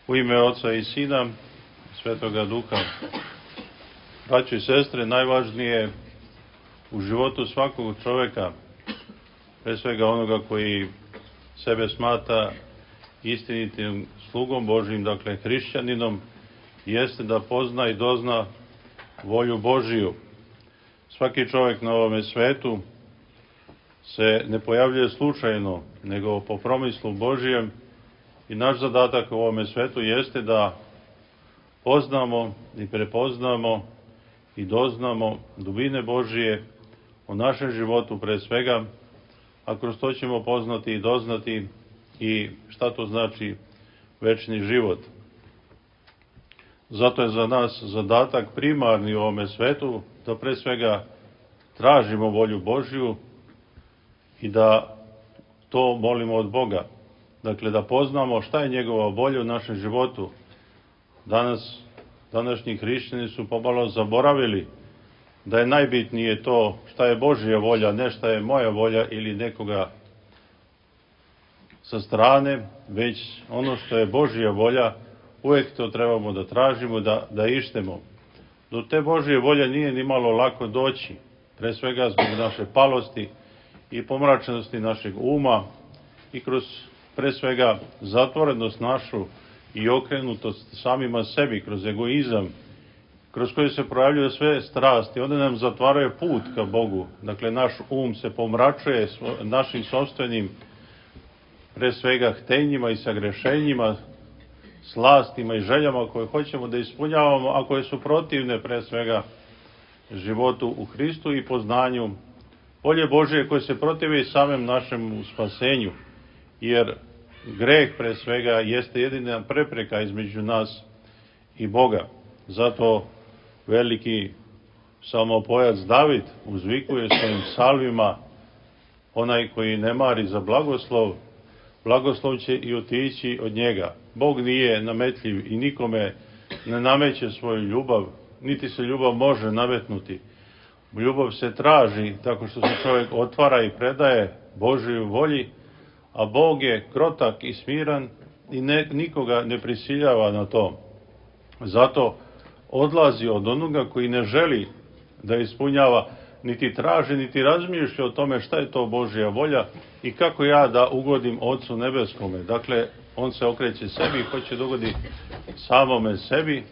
U ime Oca i Sina, Svetoga Duha. Braćo i sestre, najvažnije u životu svakog čoveka, pre svega onoga koji sebe smatra istinitim slugom Božijim, dakle hrišćaninom, jeste da pozna i dozna volju Božiju. Svaki čovjek na ovome svetu se ne pojavljuje slučajno, nego po promislu Božijem, i naš zadatak u ovome svetu jeste da poznamo i prepoznamo i doznamo dubine Božije u našem životu pre svega, a kroz to ćemo poznati i doznati i šta to znači večni život. Zato je za nas zadatak primarni u ovome svetu da pre svega tražimo volju Božju i da to molimo od Boga. Dakle, da poznamo šta je njegova volja u našem životu. Današnji hrišćani su pomalo zaboravili da je najbitnije to šta je Božja volja, ne šta je moja volja ili nekoga sa strane, već ono što je Božja volja, uvijek to trebamo da tražimo, da ištemo. Do te Božje volje nije ni malo lako doći, pre svega zbog naše palosti i pomračenosti našeg uma i kroz pre svega zatvorenost našu i okrenutost samima sebi, kroz egoizam, kroz koji se projavljuju sve strasti. One nam zatvaraju put ka Bogu. Dakle, naš um se pomračuje našim sopstvenim, pre svega, htenjima i sagrešenjima, slastima i željama koje hoćemo da ispunjavamo, a koje su protivne, pre svega, životu u Hristu i poznanju volje Božije, koje se protive i samem našem spasenju. Jer greh, pre svega, jeste jedina prepreka između nas i Boga. Zato veliki psalmopojac David uzvikuje svojim psalmima: onaj koji ne mari za blagoslov, blagoslov će i otići od njega. Bog nije nametljiv i nikome ne nameće svoju ljubav, niti se ljubav može nametnuti. Ljubav se traži tako što se čovjek otvara i predaje Božjoj volji, a Bog je krotak i smiran i nikoga ne prisiljava na to. Zato odlazi od onoga koji ne želi da ispunjava, niti traži, niti razmišlja o tome šta je to Božja volja i kako ja da ugodim Otcu Nebeskome. Dakle, on se okreće sebi i hoće da ugodi samome sebi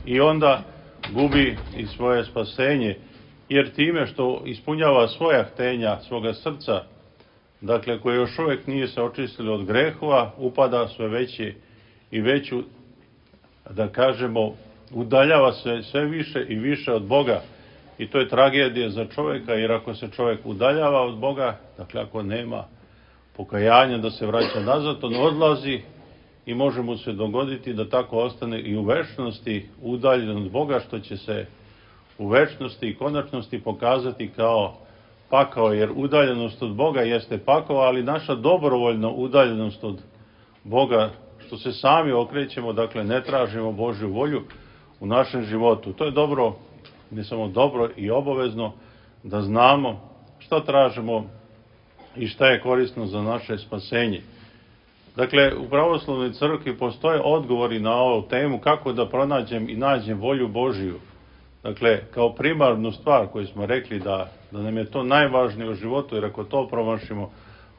i onda gubi i svoje spasenje, jer time što ispunjava svoja htenja, svoga srca, dakle, koje još uvijek nije se očistilo od grehova, upada sve veće i veću, da kažemo, udaljava se sve više i više od Boga. I to je tragedija za čovjeka, jer ako se čovjek udaljava od Boga, dakle, ako nema pokajanja da se vraća nazad, on odlazi i može mu se dogoditi da tako ostane i u večnosti udaljen od Boga, što će se u večnosti i konačnosti pokazati kao pakao, jer udaljenost od Boga jeste pakao, ali naša dobrovoljna udaljenost od Boga, što se sami okrećemo, dakle ne tražimo Božju volju u našem životu. To je dobro, ne samo dobro i obavezno, da znamo šta tražimo i šta je korisno za naše spasenje. Dakle, u pravoslavnoj crkvi postoje odgovori na ovu temu kako da pronađem i nađem volju Božiju. Dakle, kao primarnu stvar koju smo rekli da nam je to najvažnije u životu, jer ako to promašimo,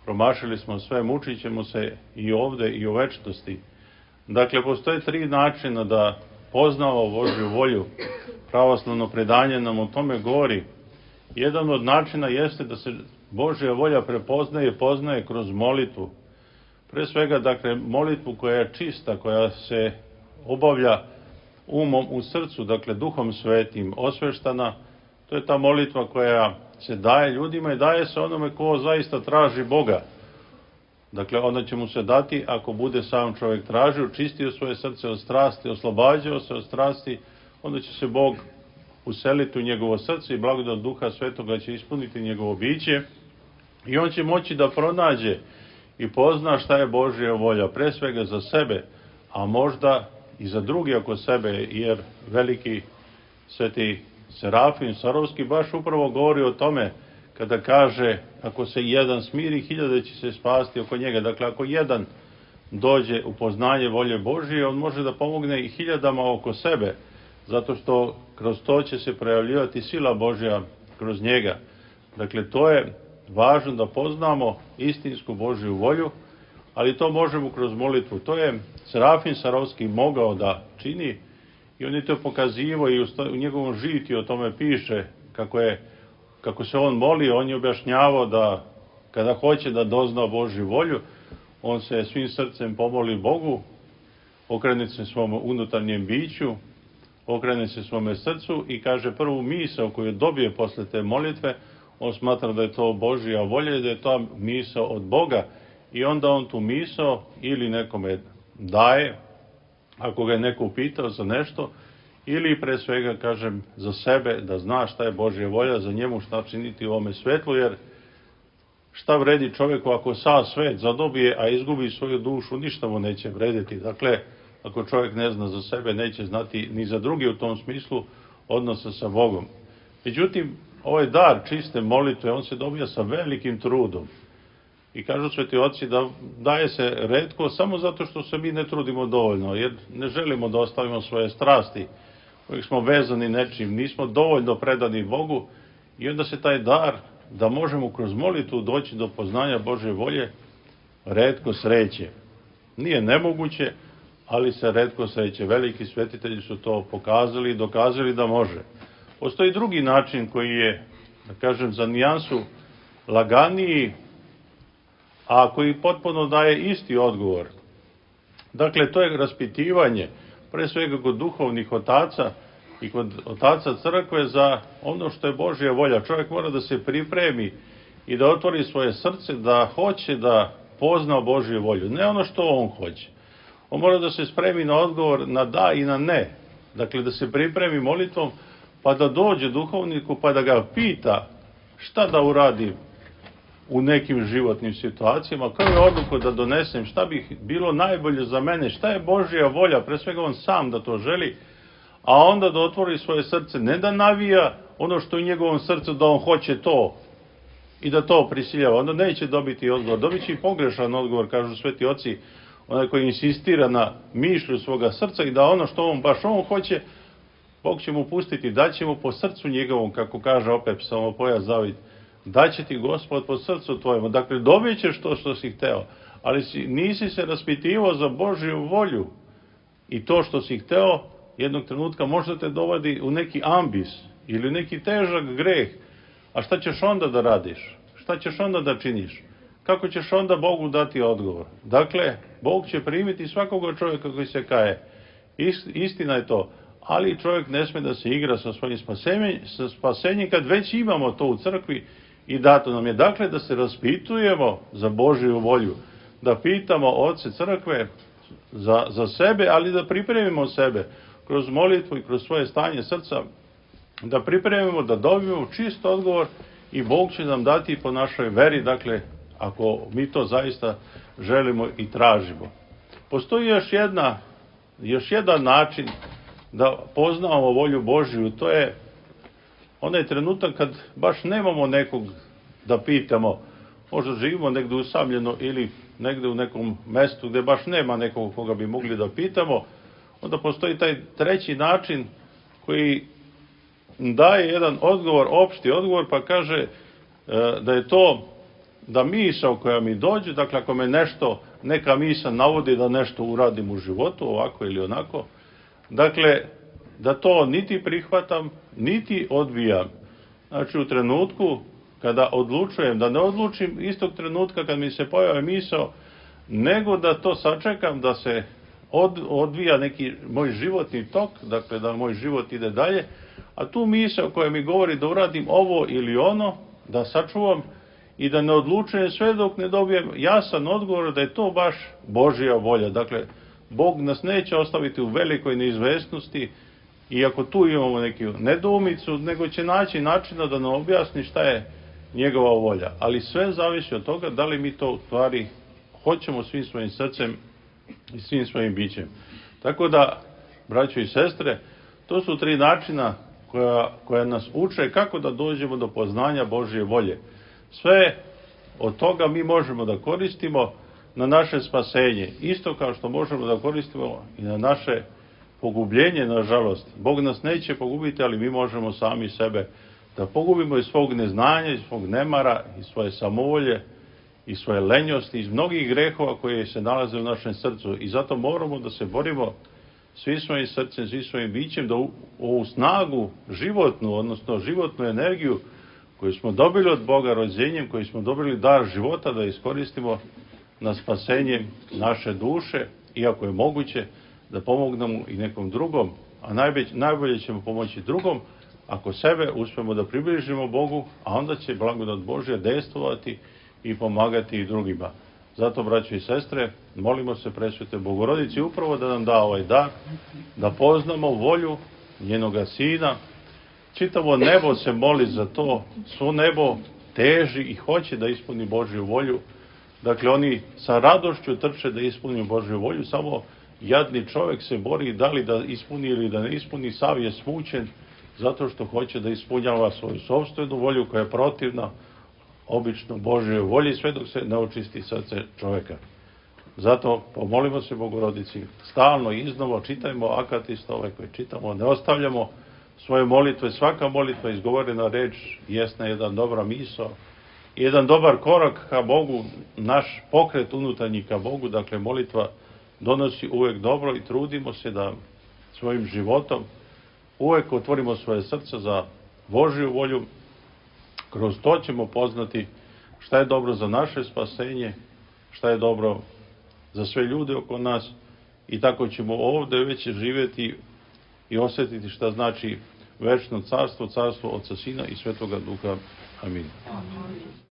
promašili smo sve, mučit ćemo se i ovde i u večnosti. Dakle, postoje 3 načina da poznamo Božju volju. Pravoslavno predanje nam o tome govori. Jedan od načina jeste da se Božja volja poznaje kroz molitvu. Pre svega, dakle, molitvu koja je čista, koja se obavlja umom u srcu, dakle Duhom Svetim, osveštana. To je ta molitva koja se daje ljudima i daje se onome ko zaista traži Boga. Dakle, onda će mu se dati ako bude sam čovjek tražio, čistio svoje srce od strasti, oslobađao se od strasti, onda će se Bog useliti u njegovo srce i blagodat Duha Svetoga će ispuniti njegovo biće i on će moći da pronađe i pozna šta je Božja volja, pre svega za sebe, a možda i za drugi oko sebe, jer veliki sveti Serafim Sarovski baš upravo govori o tome kada kaže: ako se jedan smiri, 1000 će se spasti oko njega. Dakle, ako jedan dođe u poznanje volje Božije, on može da pomogne i hiljadama oko sebe, zato što kroz to će se projavljivati sila Božja kroz njega. Dakle, to je važno da poznamo istinsku Božju volju, ali to možemo kroz molitvu. To je Serafim Sarovski mogao da čini i on je to pokazivao i u njegovom žitiju o tome piše kako se on molio. On je objašnjavao da kada hoće da dozna Božju volju, on se svim srcem pomoli Bogu, okrene se svom unutarnjem biću, okrene se svome srcu i kaže prvu misao koju dobije posle te molitve, on smatra da je to Božja volja i da je to misao od Boga i onda on tu misao ili nekome daje, ako ga je neko upitao za nešto, ili pre svega, kažem, za sebe, da zna šta je Božja volja, za njemu šta činiti u ovome svetlu, jer šta vredi čovjeku ako sav svet zadobije, a izgubi svoju dušu, ništa mu neće vrediti. Dakle, ako čovjek ne zna za sebe, neće znati ni za drugi u tom smislu odnosa sa Bogom. Međutim, ovaj dar čiste molitve, on se dobija sa velikim trudom. I kažu sveti oci da daje se retko samo zato što se mi ne trudimo dovoljno, jer ne želimo da ostavimo svoje strasti, kojih smo vezani nečim, nismo dovoljno predani Bogu i onda se taj dar, da možemo kroz molitvu doći do poznanja Božje volje, retko sreće. Nije nemoguće, ali se retko sreće. Veliki svetitelji su to pokazali i dokazali da može. Postoji drugi način koji je, da kažem, za nijansu laganiji, a koji potpuno daje isti odgovor. Dakle, to je raspitivanje, pre svega kod duhovnih otaca i kod otaca crkve za ono što je Božja volja. Čovjek mora da se pripremi i da otvori svoje srce, da hoće da pozna Božju volju. Ne ono što on hoće. On mora da se spremi na odgovor na da i na ne. Dakle, da se pripremi molitvom, pa da dođe duhovniku, pa da ga pita šta da uradim u nekim životnim situacijama, koju odluku da donesem, šta bi bilo najbolje za mene, šta je Božja volja, pre svega on sam da to želi, a onda da otvori svoje srce, ne da navija ono što je u njegovom srcu, da on hoće to i da to prisiljava, onda neće dobiti odgovor. Dobit će i pogrešan odgovor, kažu sveti oci, onaj koji insistira na mišlju svoga srca i da ono što baš on hoće, Bog će mu pustiti, daće mu po srcu njegovom, kako kaže opet psalmopojac David, daće ti Gospod po srcu tvojemu. Dakle, dobit ćeš to što si hteo, ali nisi se raspitivao za Božju volju i to što si hteo, jednog trenutka možda te dovodi u neki ambis ili neki težak greh. A šta ćeš onda da radiš? Šta ćeš onda da činiš? Kako ćeš onda Bogu dati odgovor? Dakle, Bog će primiti svakoga čovjeka koji se kaje. Istina je to. Ali čovjek ne sme da se igra sa svojim spasenjem kad već imamo to u crkvi i dato nam je. Dakle, da se raspitujemo za Božju volju. Da pitamo oce crkve za sebe, ali da pripremimo sebe kroz molitvu i kroz svoje stanje srca, da pripremimo, da dobijemo čist odgovor i Bog će nam dati po našoj veri, dakle, ako mi to zaista želimo i tražimo. Postoji još jedan način da poznamo volju Božju, to je onaj trenutak kad baš nemamo nekog da pitamo, možda živimo negdje usamljeno ili negdje u nekom mestu gdje baš nema nekog koga bi mogli da pitamo, onda postoji taj treći način koji daje jedan odgovor, opšti odgovor, pa kaže da je to da misao koja mi dođe, dakle ako me neka misao navodi da nešto uradim u životu, ovako ili onako, dakle da to niti prihvatam, niti odbijam. Znači u trenutku kada odlučujem, da ne odlučim istog trenutka kad mi se pojavi misao, nego da to sačekam, da se odvija neki moj životni tok, dakle da moj život ide dalje, a tu misao koja mi govori da uradim ovo ili ono, da sačuvam i da ne odlučujem sve dok ne dobijem jasan odgovor da je to baš Božja volja. Dakle, Bog nas neće ostaviti u velikoj neizvesnosti, iako tu imamo neku nedoumicu, nego će naći načina da nam objasni šta je njegova volja. Ali sve zavisi od toga da li mi to u stvari hoćemo svim svojim srcem i svim svojim bićem. Tako da, braćo i sestre, to su 3 načina koja nas uče kako da dođemo do poznanja Božje volje. Sve od toga mi možemo da koristimo, na naše spasenje, isto kao što možemo da koristimo i na naše pogubljenje, nažalost. Bog nas neće pogubiti, ali mi možemo sami sebe da pogubimo iz svog neznanja, iz svog nemara, iz svoje samovolje, iz svoje lenjosti, iz mnogih grehova koje se nalaze u našem srcu. I zato moramo da se borimo svi svojim srcem, svi svojim bićem, da ovu snagu životnu, odnosno životnu energiju koju smo dobili od Boga rođenjem, koju smo dobili dar života, da iskoristimo na spasenje naše duše, iako je moguće da pomognemo i nekom drugom, a najbolje ćemo pomoći drugom ako sebe uspemo da približimo Bogu, a onda će blagodat Božja dejstvovati i pomagati i drugima. Zato, braćo i sestre, molimo se Presvetoj Bogorodici upravo da nam da ovaj dar, da poznamo volju njenoga Sina. Čitavo nebo se moli za to, svo nebo teži i hoće da ispuni Božju volju. Dakle, oni sa radošću trče da ispuni Božju volju, samo jadni čovjek se bori da li da ispuni ili da ne ispuni, sav je smućen zato što hoće da ispunjava svoju sopstvenu volju koja je protivna obično Božjoj volji, sve dok se ne očisti srce čovjeka. Zato pomolimo se Bogorodici, stalno i iznova čitajmo akatistove koje čitamo, ne ostavljamo svoje molitve, svaka molitva, izgovorena reč, jesna jedan dobra misao, jedan dobar korak ka Bogu, naš pokret unutarnji ka Bogu, dakle molitva donosi uvek dobro i trudimo se da svojim životom uvek otvorimo svoje srce za Božju volju. Kroz to ćemo poznati šta je dobro za naše spasenje, šta je dobro za sve ljude oko nas i tako ćemo ovde već živjeti i osjetiti šta znači večno carstvo, carstvo Oca, Sina i Svetoga Duha. Amin.